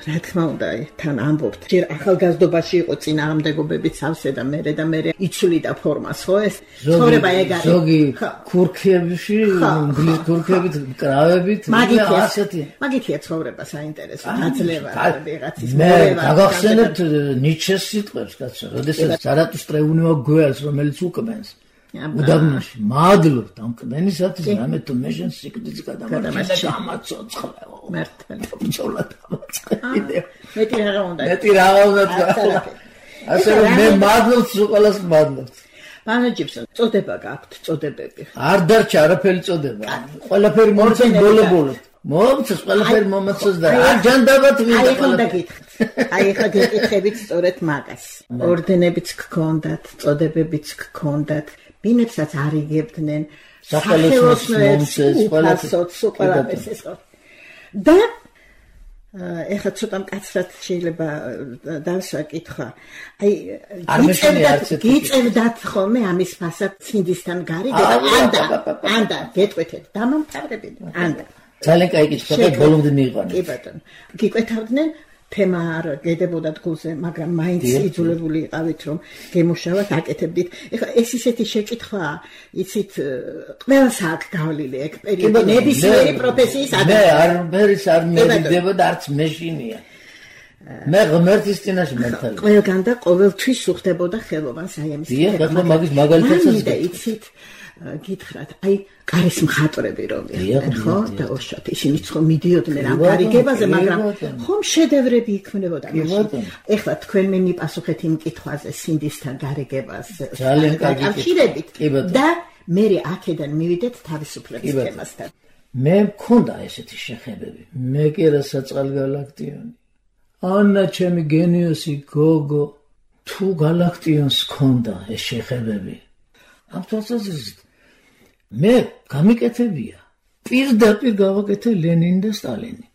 რა თქმა უნდა, თან ამბობთ. ჯერ ახალგაზრდობაში იყო წინააღმდეგობებით სავსე და მე იცვლიდა ფორმას, ხო ეს? ცხოვრება ეგ არის. ზოგი ქურქებში, ინგლისური ქურქებით, კრავებით, ასეთი. მაგითია ცხოვრება საინტერესო, გაძლევა, ვიღაცის მე გაგახსენებთ ნიჩეს სიტყვებს, კაცო, როდესაც ზარატუსტრა უნიო გველს, რომელიც უკბენს. უდაბნოში მადლობთ ამ კბენისათვის რამე თუ მე შენ სიკვდილს გადამარჩენე და გამაცოცხლეო მართალი ბჭოლა დამაწყე მეტი რა უნდა ასე რომ მე მადლობთ ყველას მადლობთ ბარონ ჯიბსონ წოდება გაქვთ წოდებები არ დარჩა არაფერი წოდება ყველაფერი მომწონს ბოლო მომწონს ყველაფერი მომწონს და არ ჯანდაბათ მინდა ყველაფერი აი ხა გეკითხებით სწორედ მაგას ორდენებიც გქონდათ წოდებებიც გქონდათ ბინებსაც არიგებდნენ სახელოსნოებს ყველაფერს ეს და ეხლა ცოტა მკაცრად შეიძლება დავსვა კითხვა აი გიწევდათ ხოლმე ამის ფასად ცინდისთან გარიგება ანდა გეტყვეთეთ დამამთავრებელი ანდა ძალიან კაი კითხვა და ბოლომდე მიიყვანეთ კი ბატონო გიკვეთავდნენ თემა არ გედებოდათ გულზე, მაგრამ მაინც იძულებული იყავით, რომ გემუშავათ, აკეთებდით. ეხლა ეს ისეთი შეკითხვაა, იცით, ყველას აქვს გავლილი ეგ პერიოდი, ნებისმიერი პროფესიის ადამიანი. მე არ მედიდება და არც მეშინია. მე ღმერთის წინაშე მართალი. ყველგან და ყოველთვის უხდებოდა ხელოვანს აი ამის. დიახ, ახლა მაგის მაგალითებსაც იცით, გითხრათ, აი კარის მხატვრები რომელი ხო და უშოთ ისინი ხომ მიდიოდნენ ამ გარიგებაზე მაგრამ ხომ შედევრები იქმნებოდა მაშინ ეხლა თქვენ მე მიპასუხეთ იმ კითხვაზე სინდისთან გარიგებაზე ძალიან კარგი და მე აქედან მივიდეთ თავისუფლების თემასთან მე მქონდა ესეთი შეხებები მე კი რა საწყალი გალაქტიონი ანა ჩემი გენიოსი გოგო თუ გალაქტიონს მქონდა ეს შეხებები ამ თვალსაზრისით მე გამიკეთებია პირდაპირ გავაკეთე ლენინი და სტალინი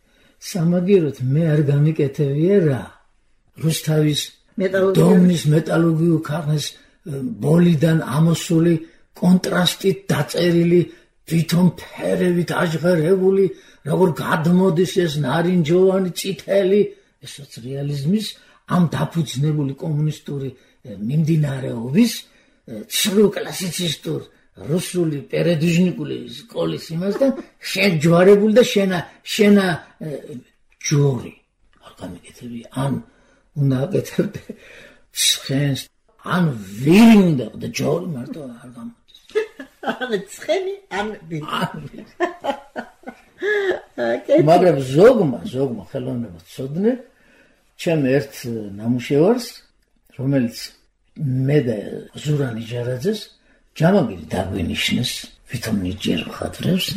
სამაგიეროდ მე არ გამიკეთებია რა რუსთავის დომნის მეტალურგიულ ქარხნის ბოლიდან ამოსული კონტრასტით დაწერილი თვითონ ფერებით აჟღერებული როგორ გადმოდის ეს ნარინჯოვანი წითელი ესაც რეალიზმის ამ დაფუძნებული კომუნისტური მიმდინარეობის ცრუ კლასიცისტურ რუსული პერედუჟნიკული სკოლის იმასთან შეჯვარებული და შენა ჯორი არ გამიკეთები ან უნდა აკეთებდე ცხენს ან ვირი უნდა და ჯორი მარტო არ გამოდის ან ცხენი ან ვირი მაგრამ ზოგმა ხელოვნება ცოდნე ჩემ ერთ ნამუშევარს რომელიც მე და ზურა ნიჟარაძეს ჯამაგირი დაგვინიშნეს ვითომ ნიჭიერ მხატვრებს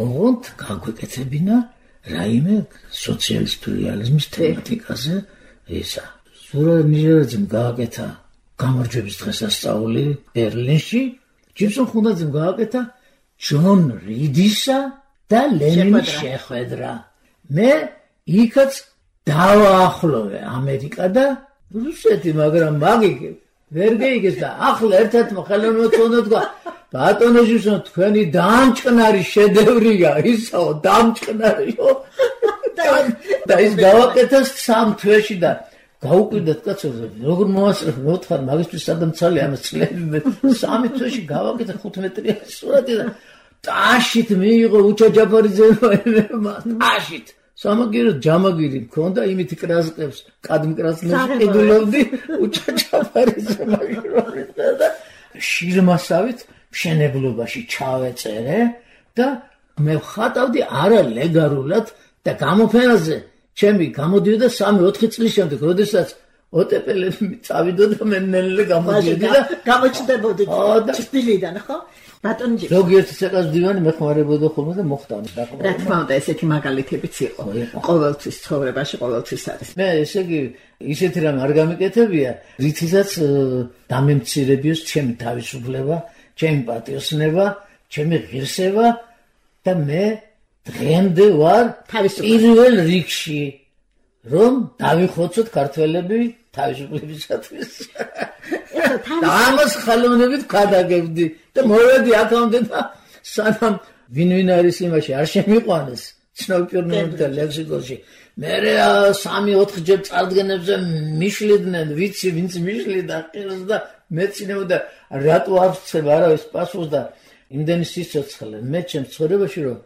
ოღონდ გაგვეკეთებინა რაიმე სოციალისტური რეალიზმის თემატიკაზე ისა ზურა ნიჟარაძემ გააკეთა გამარჯვების დღესასწაული ბერლინში ჯიბსონ ხუნდაძემ გააკეთა ჯონ რიდისა და ლენინის შეხვედრა მე იქაც დავაახლოვე ამერიკა და რუსეთი მაგრამ მაგიგე ვერ გეიგეს და ახლა ერთ-ერთმა ხელოვნებამ თქვა ბატონო ჯიბსონ თქვენი დამჭკნარი შედევრია ისაო დამჭკნარიო და ის გავაკეთა 3 თვეში და გაუკვირდათ კაცო როგორ მოასწრებ მოთხარ მაგისთვის სადამცალი ამას წლები მე 3 თვეში გავაკეთა 5 მეტრიანი სურათი და ტაშით მიიღო უჩა ჯაფარიძემა ტაშით სამაგიეროდ ჯამაგირი მქონდა იმით კრასკებს კადმკრასნებს ედულობდი უჩა ჯაფარიძემა და შირმასავით მშენებლობაში ჩავეწერე და მე ხატავდი არა ლეგალურად და გამოფენაზე ჩემი გამოდიოდა 3-4 წლის შემდეგ, როდესაც ოტეპელები წავიდოდა მე ნელ გამოდიოდა და გამოჩნდებოდი ჭრილიდან, ხო? ბატონი ზოგიერთი ცეკას მდივანი მეხმარებოდა ხოლმე და მოხდანა. რა თქმა უნდა, ესეთი მაგალითებიც იყო. ყოველთვის ცხოვრებაში ყოველთვის არის. მე ესე იგი ისეთი რამ არ გამიკეთებია, რითიცაც დამემცირებიოს ჩემი თავისუფლება, ჩემი პატიოსნება, ჩემი ღირსება და მე დღემდე ვარ პირველ რიგში, რომ დავიხოცოთ ქართველები თავისუფლებისათვის. და ამას ხალხოვნებით გადაგებდი და მოვედი აქამდე და სანამ ვინ არის იმაში არ შემიყვანეს ცნობ პიროვნებათა ლექსიკონში მე 3-4 ჯერ წარდგენებზე მიშლიდნენ ვიცი ვინც მიშლიდა ყილს და მეცინებოდა რატო აღწევ არავის პასუხს და იმდენი სიცოცხლე მე ჩემს ცხოვრებაში რომ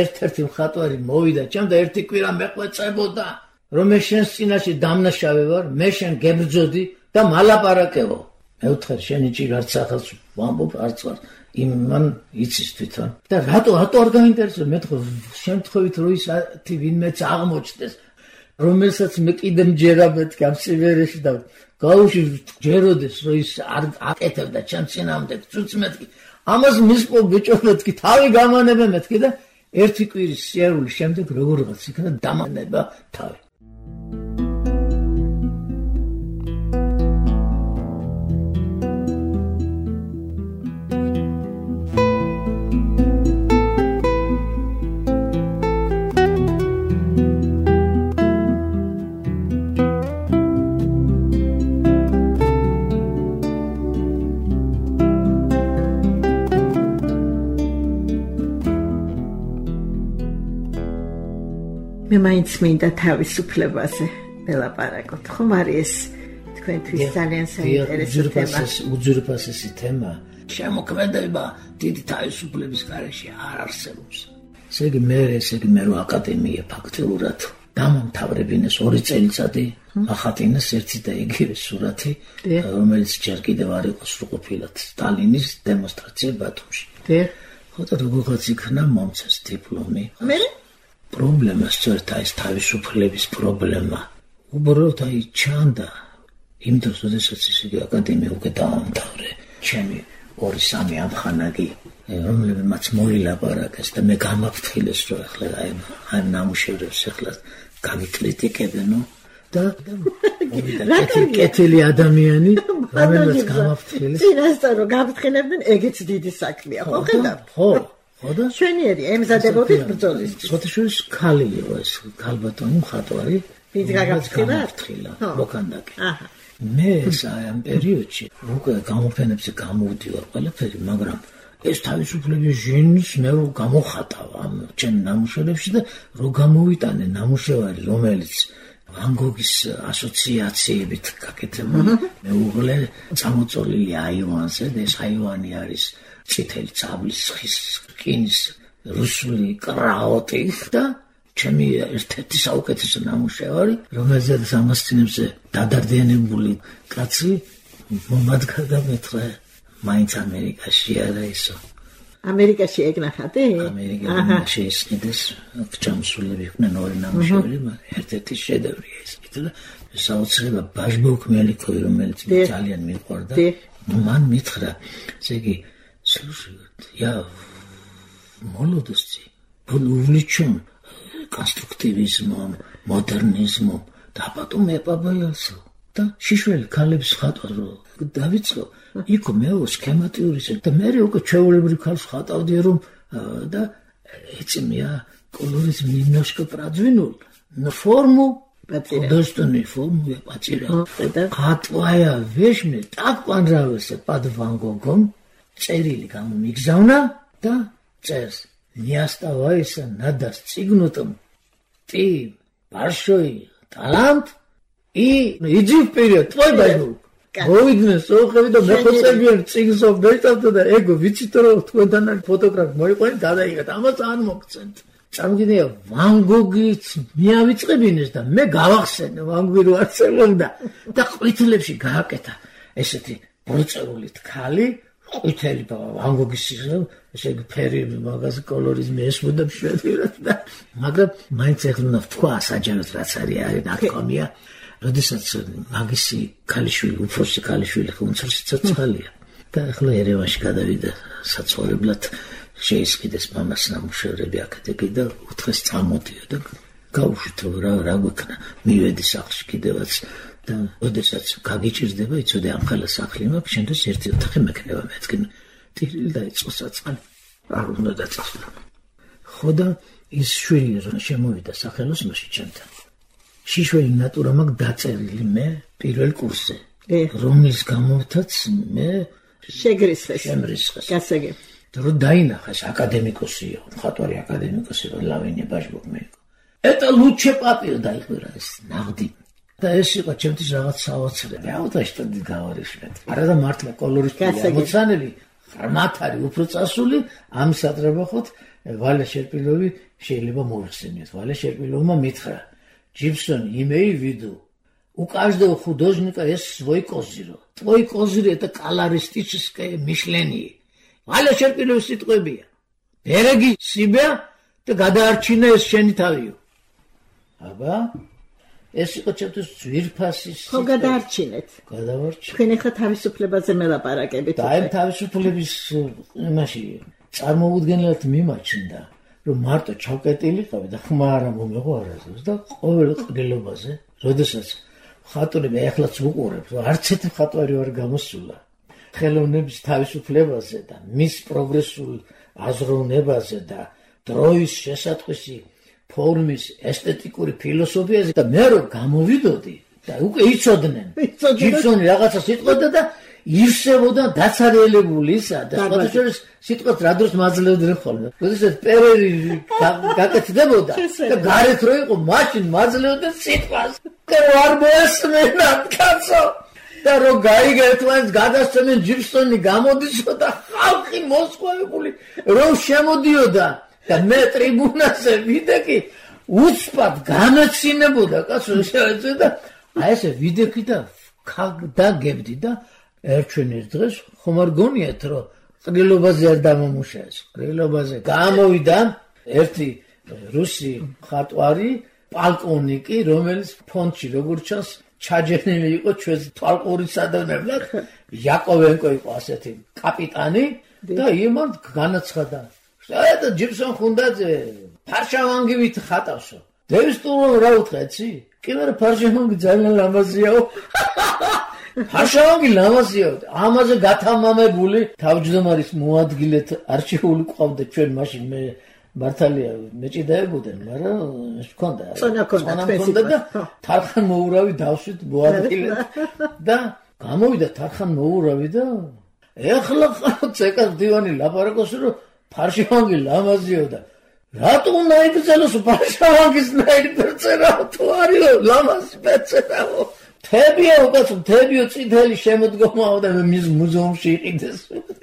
ერთ-ერთი მხატვარი მოვიდა ჩემ და ერთი კვირა მეყვეწებოდა რომ მე შენს წინაშე დამნაშავე ვარ მე შენ გებრძოდი და მალაპარაკებო მე ვთხარ შენი ჭირ არც ახალს ვამბობ არც ვარ იმან იცის თვითონ და რატო არ გაინტერესებს მე თქო შემთხვევით რომ ის ვინმეც აღმოჩნდეს რომელსაც მე კიდე მჯერა მეთქი ამ სიმერეში და გაუში ჯეროდეს რომ ის არ აკეთებდა ჩემ წინამდე წუწ მეთქი ამას მისპო ბიჭო მეთქი თავი გამანებე მეთქი და ერთი კვირის სიარულის შემდეგ როგორღაც იქნა დამანება თავი მე მაინც მინდა თავისუფლებაზე ველაპარაკოთ, ხომ არის ეს თქვენთვის ძალიან საინტერესო თემა. უძვირფასესი თემა. შემოქმედება დიდი თავისუფლების გარეშე არ არსებობს. ესე იგი მე რო აკადემია ფაქტიურად დამამთავრებინეს 2 წელიწადი, ახატინეს ერთი და იგივე სურათი, რომელიც ჯერ კიდევ არ იყო სრულყოფილად სტალინის დემონსტრაცია ბათუმში. ხო და როგორღაც იქნა მომცეს დიპლომი. მე პრობლემა სწორედ ეს თავისუფლების პრობლემა. უბრალოდ ჩანდა იმ დროს, როდესაც ისე აკადემია უკვე დაამთავრე. ჩემი 2-3 ამხანაგი, რომლებმაც მოილაპარაკეს და მე გამაფრთხილეს, რომ ახლა აი ნამუშევრებს ახლა გამიკრიტიკებენო და კეთილი ადამიანი, რომელმაც გამაფრთხილეს. წინასწარ რომ გამფრთხილებდნენ, ეგეც დიდი საქმეა, ხო ხედავთ? ხო. ხოდა? ჩვენიერი ემზადებოდით ბრძოლისთვის. შოთაშვილის ქალი იყო ეს, ქალბატონი მხატვარი. ვინც გაგაფრთხილა? მოქანდაკე. მე ამ პერიოდში უკვე გამოფენებზე გამოვდივარ ყველაფერი, მაგრამ ეს თავისუფლების ჟენს მე რო გამოხატავ ამ ჩემ ნამუშევრებში და რო გამოვიტანე ნამუშევარი, რომელიც ვან გოგის ასოციაციებით გაკეთებული, მეუღლე წამოწოლილი აივანზე და ეს აივანი არის წითელი წაბლის ხის რკინის რუსული კრაოტი და ჩემი ერთ-ერთი საუკეთესო ნამუშევარი, რომელზეც ამასწინებზე დადარდიანებული კაცი მომადგა და მეთხრა მაინც ამერიკაში არა ისო. ამერიკაში ეგნახატი? ამერიკაში შეისყიდეს ჩამსულები იყვნენ 2 ნამუშევარი, ერთ-ერთი შედევრია ეს. და საოცრება ბაჟბოქმელიკოვი, რომელიც ძალიან მიყვარდა, მან მითხრა, ესე იგი слушай, я молодости был увлечен конструктивизмом, модернизмом, да потом я побоялся. და შიშველი ქალების ხატვა დავიწყო, იქ მე სქემატიურიც და მე უკვე ჩვეულებრივ ქალს ხატავდი რომ და ეცემია колоризм немножко продвинул, но форму художественную форму я потерял. Хатвая вещь мне так понравилась под Ван Гогом. წერილი გამომიგზავნა და წერს не оставайся надо стигнутым ты большой талант и иди вперед твой бажбук მოვიდნენ სოხები და მეხოცებიან წიგნსო მეშტავდა და ეგო ვიცით რომ თქვენთან არის ფოტოგრაფი მოიყვანეთ გადაიღეთ ამას არ მოგცემთ წარმოგიდგენია ვან გოგიც მიავიწყებინეს და მე გავახსენე ვან გოგი რო არსებობდა და ყვითლებში გააკეთა ესეთი ბორწეული თქალი ყვითელი ვან გოგის ესე იგი ფერი მაგაზე კოლორიზმი ესმოდა მშვენივრად და მაგრამ მაინც ეხლა უნდა ვთქვა საჯაროდ რაც არის ნარკომია როდესაც მაგისი ქალიშვილი უფროსი ქალიშვილი უმცროსი ცოცხალია და ახლა ერევანში გადავიდა საცხოვრებლად შეისყიდეს მამას ნამუშევრები აქეთეკი და უთხრეს წამოდიო და გავუშვით რა გვექნა მივედი სახლში კიდევაც და როდესაც გაგიჭირდება იცოდე ამ ხელა სახლი მაქვს შენთვის ერთი ოთახი მექნება მეთქი ტირილი დაიწყო საწყალი არ უნდა დაწესო ხო და ის შვილი რომ შემოვიდა სახელოსნოში ჩემთან შიშველი ნატურა მაქვს დაწერილი მე პირველ კურსზე რომლის გამოვთაც მე შეგრისხეს გასაგე რომ დაინახეს აკადემიკოსიო მხატვარი აკადემიკოსი რომ ლავინია ბაჟბოკ მე ეტა ლუჩე პაპიო დაიყვირა ეს ნაღდი და ეს იყო ჩემთვის რაღაც საოცრები აუტაშტადი გავარიშმეთ არა და მართლა კოლორისტული ამოცანები ღრმათ არის უფრო წასული ამ სატრებახოთ ვალე შერპილოვი შეიძლება მოიხსენიოთ ვალე шерпиловმა მითხრა Джипсон имей в виду у каждого художника есть свой козырь твой козырь это колористическое мышление ვალე шерпилов сიტყვებია береги себя და გადაარჩინე ეს შენი თავიო აბა ეს იყო ჩემთვის ძვირფასის ხო გადაარჩინეთ თქვენ ახლა თავისუფლებაზე მელაპარაკებით და ამ თავისუფლების იმაში წარმოუდგენლად მიმაჩნდა რომ მარტო ჩავკეტილიყავი და ხმა არ მომეღო არასდროს და ყოველ ყრილობაზე როდესაც ხატვრები ახლაც უყურებ რომ არც ერთი ხატვარი არ გამოსულა ხელოვნების თავისუფლებაზე და მის პროგრესულ აზროვნებაზე და დროის შესატყვისი ფორმის ესთეტიკური ფილოსოფიაზე და მე რომ გამოვიდოდი და უკვე იცოდნენ ჯიბსონი რაღაცა სიტყვოდა და ირსებოდა დაცარიელებული ისა და სხვადასხვა სიტყვას რა დროს მაძლევდნენ ხოლმე როდესაც პერერი გაკეთდებოდა და გარეთ რო იყო მაშინ მაძლევდნენ სიტყვას რომ არ მოესმენა კაცო და რომ გაიგე თქვენს გადასცემენ ჯიბსონი გამოდისო და ხალხი მოსყვებული რომ შემოდიოდა და მე ტრიბუნაზე ვიდექი უცბად განაცინებოდა კაცო და აი ესე ვიდექი და დაგებდი და ერჩვენის დღეს ხომ არ გონიათ რომ ყრილობაზე არ დამომუშავეს ყრილობაზე გამოვიდა ერთი რუსი ხატვარი პალკონიკი რომელიც ფონდში როგორც ჩანს ჩაჯერნილი იყო ჩვენს თვალყურის სადონებლად იაკოვენკო იყო ასეთი კაპიტანი და იმან განაცხადა და ჯიბსონ ხუნდაძე ფარშავანგივით ხატავსო დევის ტურონ რა უთხრეცი კი მე ფარშავანგი ძალიან ლამაზიაო ფარშავანგი ლამაზიაო ამაზე გათამამებული თავმჯდომარის მოადგილეთ არჩეული ყავდა ჩვენ მაშინ მე მართალია მეჭიდაებოდნენ მაგრამ ჰქონდა წონა და თარხან მოურავი დავშვით მოადგილეთ და გამოვიდა თარხან მოურავი და ეხლა ცეკას დივანი ლაპარაკობს რომ ფარშავანგი ლამაზიო და რატო უნდა იბრძოლოს ფარშავანგის ნაირბერწერა თუ არისო ლამაზი ბერწერაო თებია უკაცო თებიო წითელი შემოდგომაო და მის მუზეუმში იყიდეს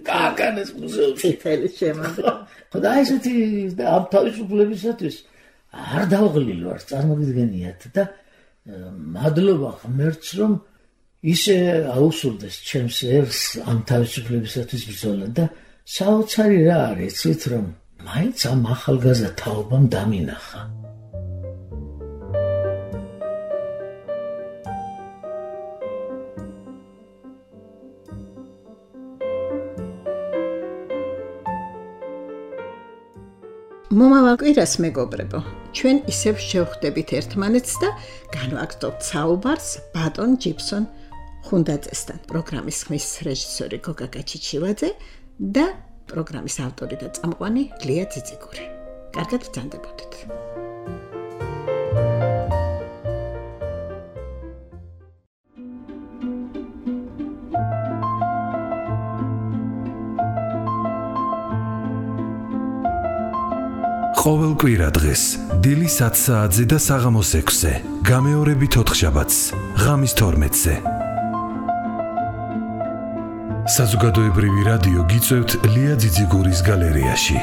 გააკანეს მუზეუმში წითელი შემოდგომა ხოდა ესეთი და ამ თავისუფლებისათვის არ დავღლილ ვარ წარმოგიდგენიათ და მადლობა ღმერთს რომ ისე აუსურდეს ჩემს ერს ამ თავისუფლებისათვის ბრძოლა და საოცარი რა არის იცით რომ მაინც ამ ახალგაზრდა თაობამ დამინახა მომავალ კვირას მეგობრებო ჩვენ ისევ შევხვდებით ერთმანეთს და განვაგრძობთ საუბარს ბატონ ჯიბსონ ხუნდაძესთან პროგრამის ხმის რეჟისორი გოგა გაჩიჩივაძე და პროგრამის ავტორი და წამყვანი ლია ძიძიგური. კარგად ბრძანდებოდეთ. ყოველ კვირა დღეს დილი 7 საათზე და საღამოს 6-ზე, გამეორებით 4 შაბათს, ღამის 12-ზე. საზოგადოებრივი რადიო გიწევთ ლია ძიძიგურის გალერეაში.